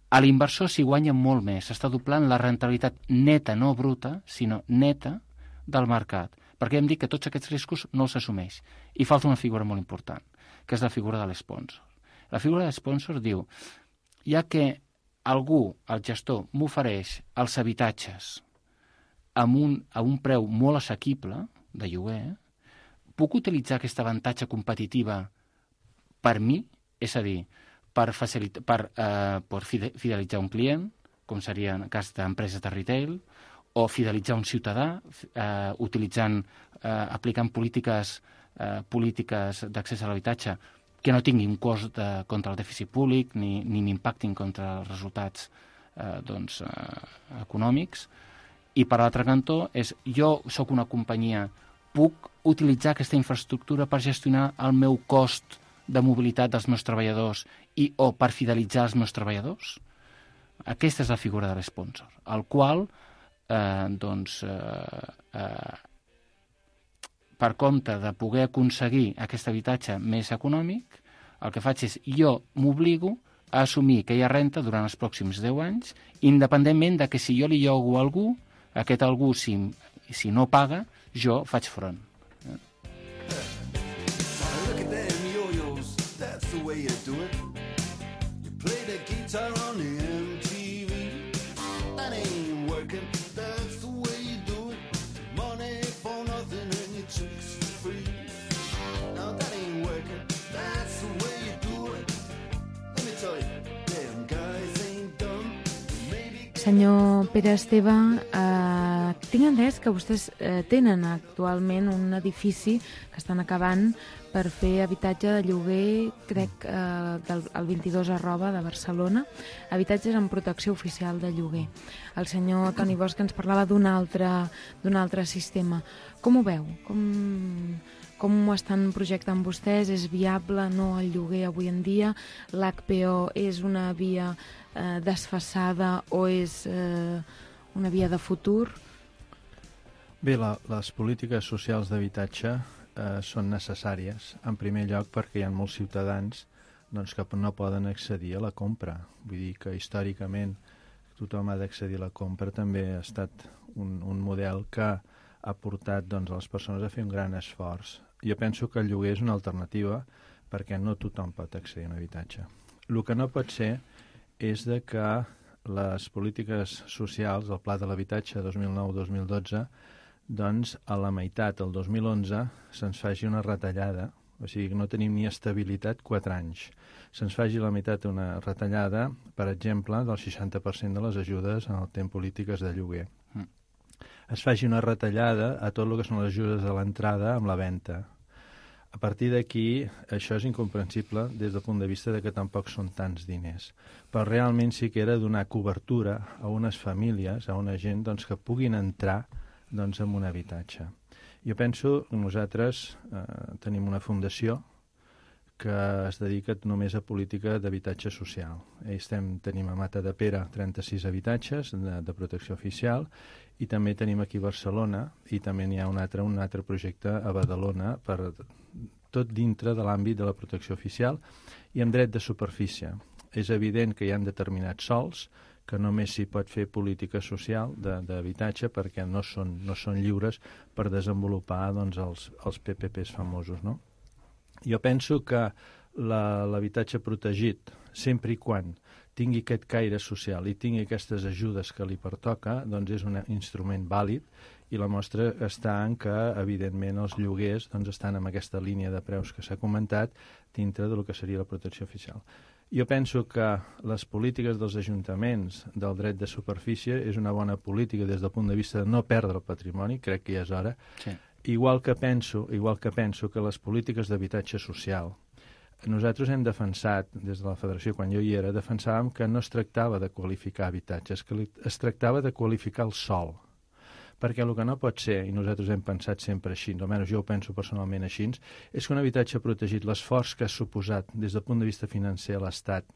A l'inversor s'hi guanya molt més, s'està doblant la rentabilitat neta, no bruta, sinó neta del mercat, perquè hem dit que tots aquests riscos no els assumeix. I falta una figura molt important, que és la figura de l'esponsor. La figura de l'esponsor diu, ja que algú, el gestor, m'ofereix els habitatges a un preu molt assequible de lloguer, puc utilitzar aquest avantatge competitiva per mi, és a dir, per fidelitzar un client, com seria en el cas d'empreses de retail, o fidelitzar un ciutadà, aplicant polítiques d'accés a l'habitatge que no tinguin cost contra el dèficit públic ni m'impactin contra els resultats econòmics. I per l'altre cantó és, jo sóc una companyia, puc utilitzar aquesta infraestructura per gestionar el meu cost de mobilitat dels meus treballadors o per fidelitzar els meus treballadors? Aquesta és la figura de l'esponsor, el qual, per compte de poder aconseguir aquest habitatge més econòmic, el que faig és, jo m'obligo a assumir que hi ha renta durant els pròxims 10 anys, independentment de que si jo li llogo a algú, aquest algú, si no paga, jo faig front. Senyor Pere Esteve, tinc entès que vostès tenen actualment un edifici que estan acabant per fer habitatge de lloguer, crec, al 22@ de Barcelona, habitatges amb protecció oficial de lloguer. El senyor Toni Bosch ens parlava d'un altre sistema. Com ho veu? Com ho estan projectant vostès? És viable, no, el lloguer avui en dia? L'HPO és una via desfasada o és una via de futur? Bé, les polítiques socials d'habitatge són necessàries, en primer lloc perquè hi ha molts ciutadans que no poden accedir a la compra. Vull dir que històricament tothom ha d'accedir a la compra, també ha estat un model que ha portat a les persones a fer un gran esforç. Jo penso que el lloguer és una alternativa perquè no tothom pot accedir a un habitatge. El que no pot ser és que les polítiques socials, el Pla de l'Habitatge 2009-2012, a la meitat, el 2011, se'ns faci una retallada, o sigui que no tenim ni estabilitat 4 anys. Se'ns faci a la meitat una retallada, per exemple, del 60% de les ajudes en el temps polítiques de lloguer. es faci una retallada a tot el que són les ajudes a l'entrada amb la venda. A partir d'aquí, això és incomprensible des del punt de vista de que tampoc són tants diners. Però realment sí que era donar cobertura a unes famílies, a una gent doncs, que puguin entrar doncs, en un habitatge. Jo penso que nosaltres tenim una fundació que es dedica només a política d'habitatge social. Tenim a Matadepera 36 habitatges de protecció oficial i també tenim aquí a Barcelona i també n'hi ha un altre projecte a Badalona per tot dintre de l'àmbit de la protecció oficial i amb dret de superfície. És evident que hi ha determinats sols que només s'hi pot fer política social d'habitatge perquè no són lliures per desenvolupar doncs, els PPPs famosos, no? Jo penso que l'habitatge protegit, sempre i quan tingui aquest caire social i tingui aquestes ajudes que li pertoca, doncs és un instrument vàlid i la mostra està en que, evidentment, els lloguers doncs, estan en aquesta línia de preus que s'ha comentat dintre del que seria la protecció oficial. Jo penso que les polítiques dels ajuntaments del dret de superfície és una bona política des del punt de vista de no perdre el patrimoni, crec que ja és hora, sí. Igual que penso que les polítiques d'habitatge social, nosaltres hem defensat, des de la Federació, quan jo hi era, defensàvem que no es tractava de qualificar habitatges, que es tractava de qualificar el sòl. Perquè el que no pot ser, i nosaltres hem pensat sempre així, almenys jo ho penso personalment així, és que un habitatge protegit, l'esforç que ha suposat des del punt de vista financer a l'Estat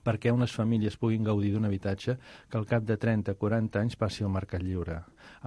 perquè unes famílies puguin gaudir d'un habitatge que al cap de 30-40 anys passi al mercat lliure,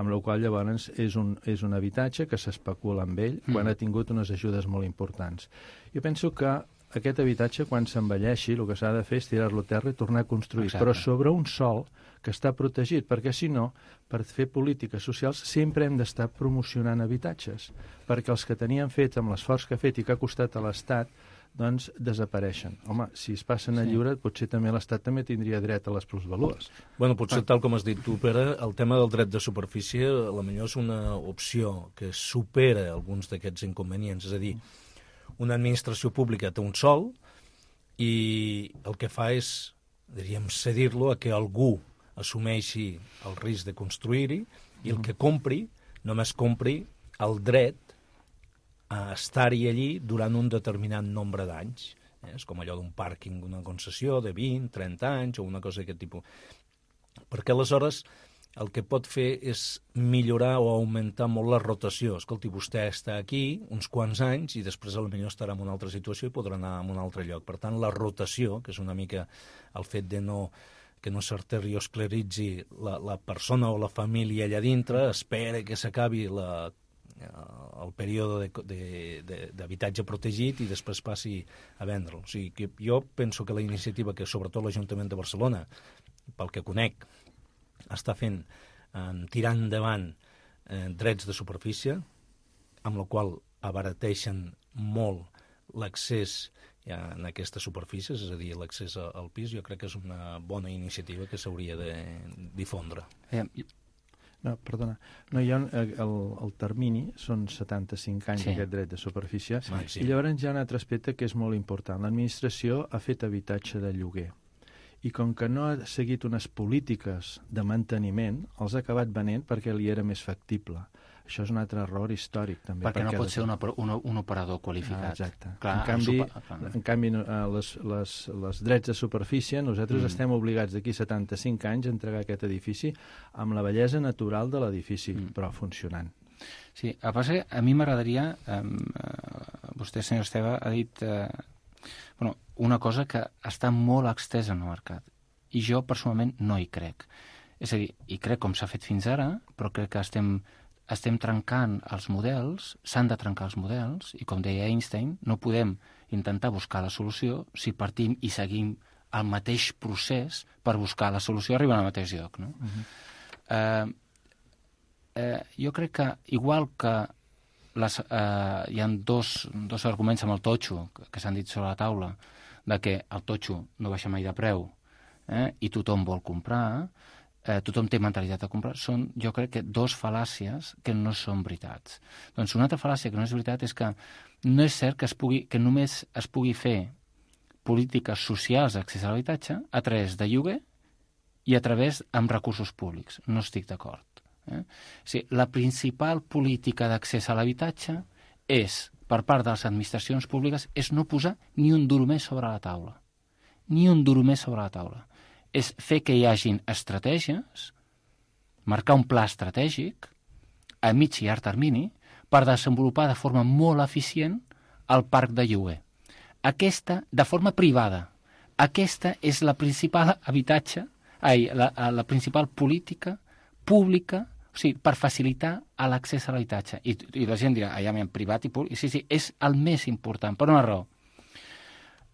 amb la qual llavors és un habitatge que s'especula amb ell quan ha tingut unes ajudes molt importants. Jo penso que aquest habitatge, quan s'envelleixi, el que s'ha de fer és tirar-lo a terra i tornar a construir, però sobre un sòl que està protegit, perquè si no, per fer polítiques socials sempre hem d'estar promocionant habitatges, perquè els que tenien fet amb l'esforç que ha fet i que ha costat a l'Estat doncs desapareixen. Home, si es passen a lliure, potser també l'Estat també tindria dret a les plusvalues. Bueno, potser tal com has dit tu, Pere, el tema del dret de superfície a la millor és una opció que supera alguns d'aquests inconvenients. És a dir, una administració pública té un sòl i el que fa és, diríem, cedir-lo a que algú assumeixi el risc de construir-hi i el que compri, només compri el dret a estar-hi allí durant un determinat nombre d'anys. És com allò d'un pàrquing, una concessió de 20, 30 anys o una cosa d'aquest tipus. Perquè aleshores el que pot fer és millorar o augmentar molt la rotació. Escolti, vostè està aquí uns quants anys i després potser estarà en una altra situació i podrà anar a un altre lloc. Per tant, la rotació, que és una mica el fet de que no s'arterioscleritzi la persona o la família allà dintre, espera que s'acabi el període d'habitatge protegit i després passi a vendre'l. O sigui que jo penso que la iniciativa que sobretot l'Ajuntament de Barcelona, pel que conec, està fent, tirant endavant drets de superfície, amb la qual abarateixen molt l'accés en aquestes superfícies, és a dir, l'accés al pis, jo crec que és una bona iniciativa que s'hauria de difondre. No, perdona. No, el termini són 75 anys d'aquest dret de superfície i llavors hi ha un altre aspecte que és molt important. L'administració ha fet habitatge de lloguer i com que no ha seguit unes polítiques de manteniment, els ha acabat venent perquè li era més factible. Això és un altre error històric, també. Perquè no pot ser un operador qualificat. Exacte. Clar, en canvi, les drets de superfície, nosaltres estem obligats d'aquí 75 anys a entregar aquest edifici amb la bellesa natural de l'edifici, però funcionant. Sí, a mi m'agradaria, vostè, senyor Esteve, ha dit una cosa que està molt extesa en el mercat, i jo personalment no hi crec. És a dir, hi crec com s'ha fet fins ara, però crec que estem trencant els models, s'han de trencar els models, i com deia Einstein, no podem intentar buscar la solució si partim i seguim el mateix procés per buscar la solució arribant al mateix lloc. No? Jo crec que, igual que hi ha dos arguments amb el totxo que s'han dit sobre la taula, de que el totxo no baixa mai de preu i tothom vol comprar, tothom té mentalitat de comprar, són, jo crec que, dos fal·làcies que no són veritats. Doncs una altra fal·làcia que no és veritat és que no és cert que només es pugui fer polítiques socials d'accés a l'habitatge a través de lloguer i a través amb recursos públics. No estic d'acord. Sí, la principal política d'accés a l'habitatge és, per part de les administracions públiques, és no posar ni un duro més sobre la taula. Ni un duro més sobre la taula. És fer que hi hagin estratègies, marcar un pla estratègic a mig i llarg termini per desenvolupar de forma molt eficient el parc de lloguer. Aquesta, de forma privada, aquesta és la principal la principal política pública, o sigui, per facilitar l'accés a l'habitatge. I la gent dirà, en privat i públic. Sí, és el més important, per una raó.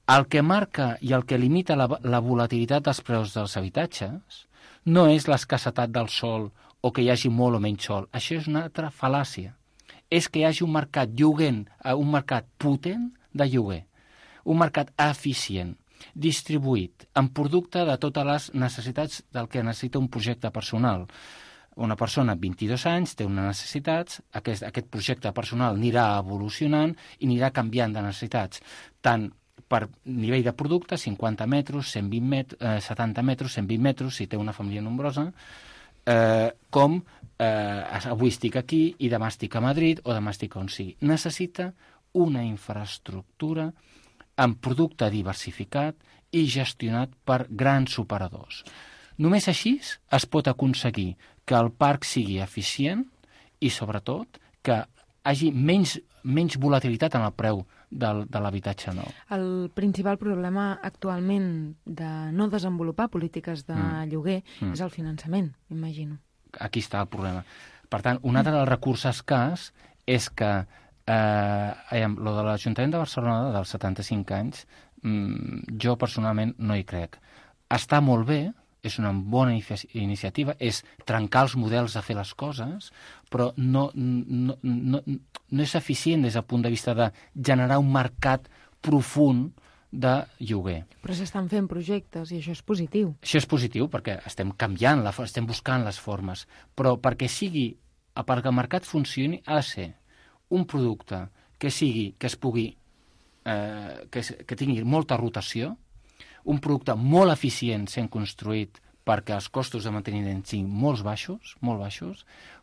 El que marca i el que limita la volatilitat dels preus dels habitatges no és l'escassetat del sòl o que hi hagi molt o menys sòl. Això és una altra fal·làcia. És que hi hagi un mercat un mercat potent de lloguer, un mercat eficient, distribuït, amb producte de totes les necessitats del que necessita un projecte personal. Una persona amb 22 anys té unes necessitats, aquest projecte personal anirà evolucionant i anirà canviant de necessitats, tant per nivell de producte, 50 metres, 120 metres, 70 metres, 120 metres, si té una família nombrosa, com avui estic aquí i demà estic a Madrid o demà estic on sigui. Necessita una infraestructura amb producte diversificat i gestionat per grans operadors. Només així es pot aconseguir que el parc sigui eficient i, sobretot, que hi hagi menys volatilitat en el preu de l'habitatge nou. El principal problema actualment de no desenvolupar polítiques de lloguer és el finançament, imagino. Aquí està el problema. Per tant, un altre dels recursos escàs és que lo de l'Ajuntament de Barcelona dels 75 anys, jo personalment no hi crec. Està molt bé, és una bona iniciativa, és trencar els models de fer les coses, però no és eficient des del punt de vista de generar un mercat profund de lloguer. Però s'estan fent projectes i això és positiu. Això és positiu perquè estem canviant, estem buscant les formes, però perquè el mercat funcioni ha de ser un producte que es pugui, que tingui molta rotació, un producte molt eficient sent construït perquè els costos de manteniment siguin molt baixos,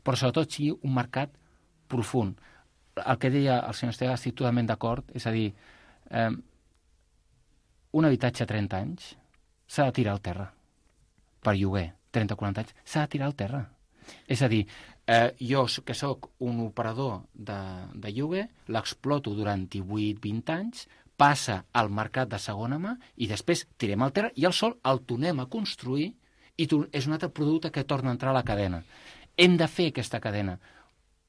però sobretot sigui un mercat profund. El que deia el senyor Esteve, estic totalment d'acord, és a dir, un habitatge a 30 anys s'ha de tirar al terra per lloguer, 30 o 40 anys, s'ha de tirar al terra. És a dir, jo que sóc un operador de lloguer, l'exploto durant 18-20 anys, passa al mercat de segona mà i després tirem al terra i el sol el tornem a construir i és un altre producte que torna a entrar a la cadena. Hem de fer aquesta cadena.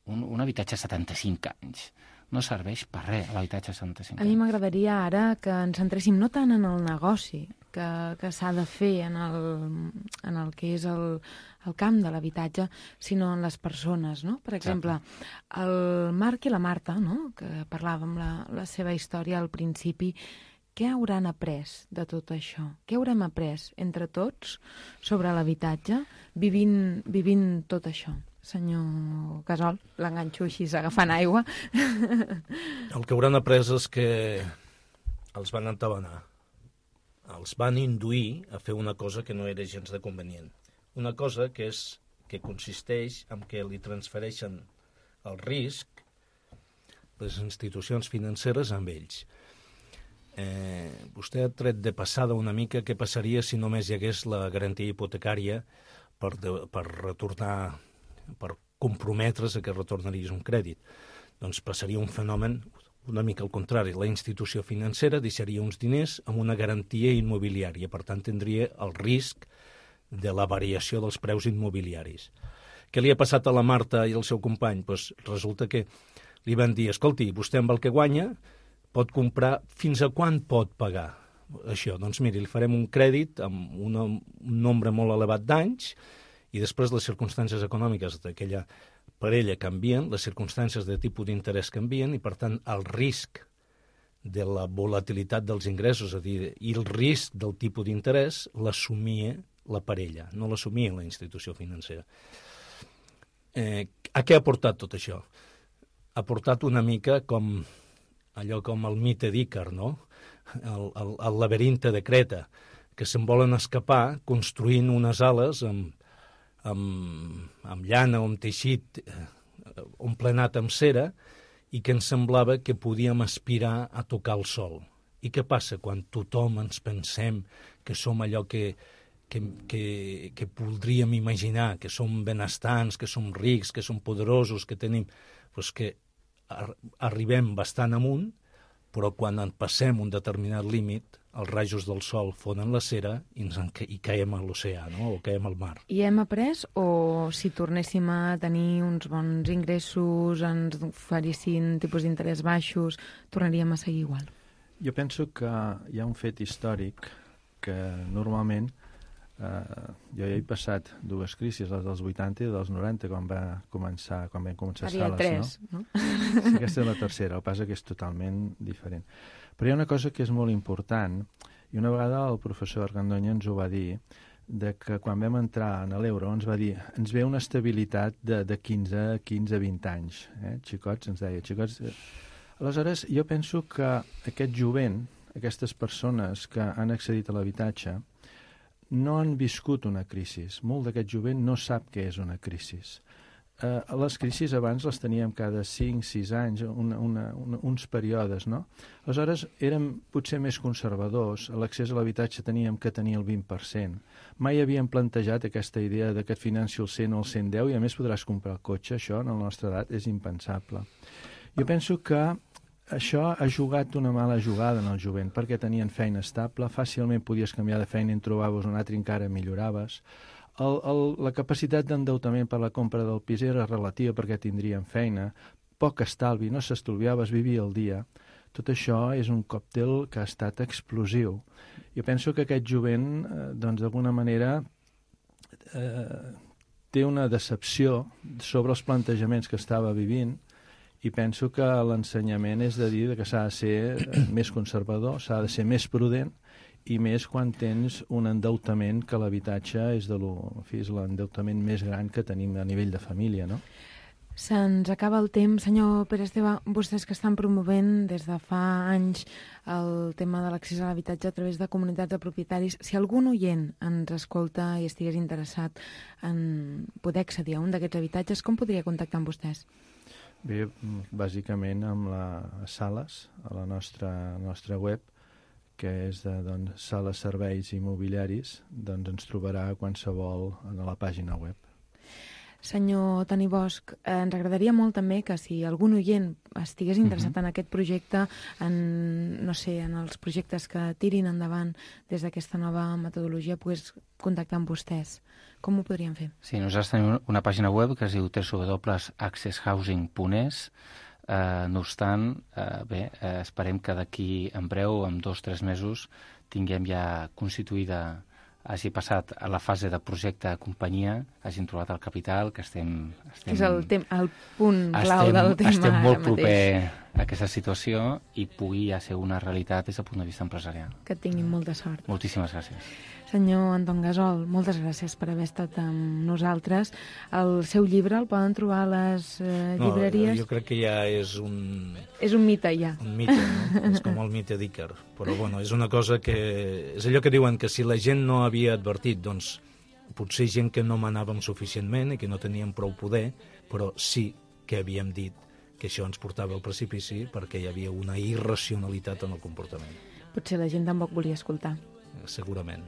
Un habitatge a 75 anys no serveix per res, l'habitatge a 75 anys. A mi m'agradaria ara que ens centréssim no tant en el negoci que s'ha de fer en el que és el camp de l'habitatge, sinó en les persones, no? Per exemple, el Marc i la Marta, no? Que parlàvem la seva història al principi, què hauran après de tot això? Què haurem après entre tots sobre l'habitatge vivint tot això? Senyor Gasol, l'enganxo així agafant aigua. El que hauran après és que els van entabanar. Els van induir a fer una cosa que no era gens de convenient. Una cosa que consisteix en què li transfereixen el risc les institucions financeres amb ells. Vostè ha tret de passada una mica què passaria si només hi hagués la garantia hipotecària per retornar, per comprometre's a que retornaries un crèdit. Doncs passaria un fenomen una mica al contrari. La institució financera deixaria uns diners amb una garantia immobiliària, per tant tindria el risc de la variació dels preus immobiliaris. Què li ha passat a la Marta i al seu company? Pues resulta que li van dir, escolti, vostè amb el que guanya pot comprar, fins a quan pot pagar això? Doncs miri, li farem un crèdit amb un nombre molt elevat d'anys i després les circumstàncies econòmiques d'aquella parella canvien, les circumstàncies de tipus d'interès canvien i, per tant, el risc de la volatilitat dels ingressos, és a dir, i el risc del tipus d'interès l'assumia la parella, no l'assumia la institució financera. A què ha portat tot això? Ha portat una mica com el mite d'Ícar, no? El laberinte de Creta, que se'n volen escapar construint unes ales amb amb llana o amb teixit omplenat amb cera, i que ens semblava que podíem aspirar a tocar el sol. I què passa quan tothom ens pensem que som allò que voldríem imaginar, que som benestants, que som rics, que som poderosos, que tenim... Doncs que arribem bastant amunt, però quan en passem un determinat límit, els rajos del sol fonen la cera i caiem a l'oceà, no? O caiem al mar. I hem après, o si tornéssim a tenir uns bons ingressos, ens oferissin tipus d'interès baixos, tornaríem a seguir igual? Jo penso que hi ha un fet històric que normalment jo he passat dues crisis, les dels 80 i dels 90, quan vam començar Sales, no? Sí, aquesta és la tercera, el pas que és totalment diferent. Però hi ha una cosa que és molt important, i una vegada el professor Argandoña ens ho va dir, de que quan vam entrar en l'euro ens va dir, ens ve una estabilitat de 15-20 anys. Xicots, ens deia, xicots... Aleshores, jo penso que aquest jovent, aquestes persones que han accedit a l'habitatge, no han viscut una crisi. Molt d'aquest jovent no sap què és una crisi. Les crisis abans les teníem cada 5-6 anys, uns períodes, no? Aleshores, érem potser més conservadors, a l'accés a l'habitatge teníem que tenir el 20%. Mai havíem plantejat aquesta idea de que et financi el 100 o el 110 i a més podràs comprar el cotxe. Això, en la nostra edat, és impensable. Jo penso que això ha jugat una mala jugada en el jovent, perquè tenien feina estable, fàcilment podies canviar de feina i en trobaves un altre, encara milloraves. La capacitat d'endeutament per la compra del pis era relativa perquè tindrien feina, poc estalvi, no s'estalviava, es vivia el dia. Tot això és un còctel que ha estat explosiu. Jo penso que aquest jovent, doncs, d'alguna manera, té una decepció sobre els plantejaments que estava vivint, i penso que l'ensenyament és de dir que s'ha de ser més conservador, s'ha de ser més prudent, i més quan tens un endeutament que l'habitatge és l'endeutament més gran que tenim a nivell de família, no? Se'ns acaba el temps. Senyor Pere Esteve, vostès que estan promovent des de fa anys el tema de l'accés a l'habitatge a través de comunitats de propietaris, si algun oient ens escolta i estigués interessat en poder accedir a un d'aquests habitatges, com podria contactar amb vostès? Bé, bàsicament amb les Sales, a la nostra web, que és de Sales Serveis Immobiliaris, doncs ens trobarà qualsevol a la pàgina web. Senyor Toni Bosch, ens agradaria molt també que si algun oient estigués interessat en aquest projecte, en els projectes que tirin endavant des d'aquesta nova metodologia, pogués contactar amb vostès. Com ho podríem fer? Sí, nosaltres tenim una pàgina web que es diu www.accesshousing.es. No obstant, esperem que d'aquí en breu, en 2-3 mesos, tinguem ja constituïda, hagi passat a la fase de projecte de companyia, hagin trobat el capital, que estem és el punt clau del tema. Estem molt proper a aquesta situació i pugui ja ser una realitat des del punt de vista empresarial. Que tinguin molta sort. Moltíssimes gràcies. Senyor Anton Gasol, moltes gràcies per haver estat amb nosaltres. El seu llibre el poden trobar a les llibreries? Jo crec que ja és un... És un mite, ja. Un mite, no? És com el mite d'Ícar. Però, bueno, és una cosa que... És allò que diuen que si la gent no havia advertit, doncs potser gent que no manàvem suficientment i que no teníem prou poder, però sí que havíem dit que això ens portava al precipici perquè hi havia una irracionalitat en el comportament. Potser la gent tampoc volia escoltar. Segurament.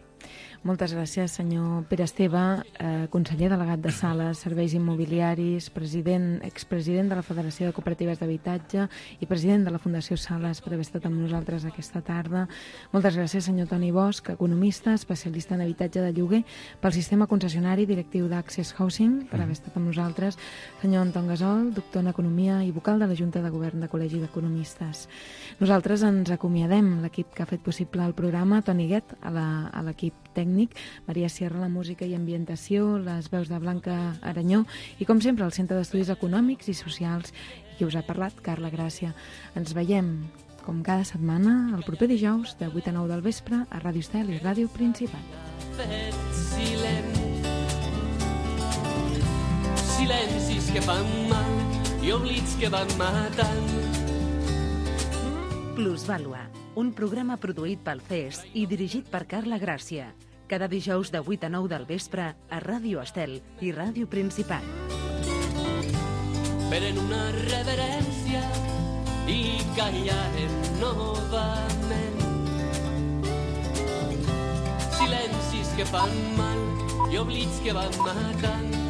Moltes gràcies, senyor Pere Esteve, conseller delegat de Sales, Serveis Immobiliaris, expresident de la Federació de Cooperatives d'Habitatge i president de la Fundació Sales, per haver estat amb nosaltres aquesta tarda. Moltes gràcies, senyor Toni Bosch, economista, especialista en habitatge de lloguer pel sistema concessionari, directiu d'Access Housing, per haver estat amb nosaltres. Senyor Anton Gasol, doctor en Economia i vocal de la Junta de Govern de Col·legi d'Economistes. Nosaltres ens acomiadem, l'equip que ha fet possible el programa, Toni Guet, a l'equip tècnic, Maria Sierra, la música i ambientació, les veus de Blanca Aranyó i, com sempre, el Centre d'Estudis Econòmics i Socials, i qui us ha parlat, Carla Gràcia. Ens veiem, com cada setmana, el proper dijous, de 8 a 9 del vespre, a Ràdio Estel i Ràdio Principat. Silencis que fan mal i oblits que van matant. Plusvàlua, un programa produït pel CES i dirigit per Carla Gràcia. Cada dijous de 8 a 9 del vespre a Ràdio Estel i Ràdio Principat. Feren una reverència i callaren novament. Silencis que fan mal i oblits que van matant.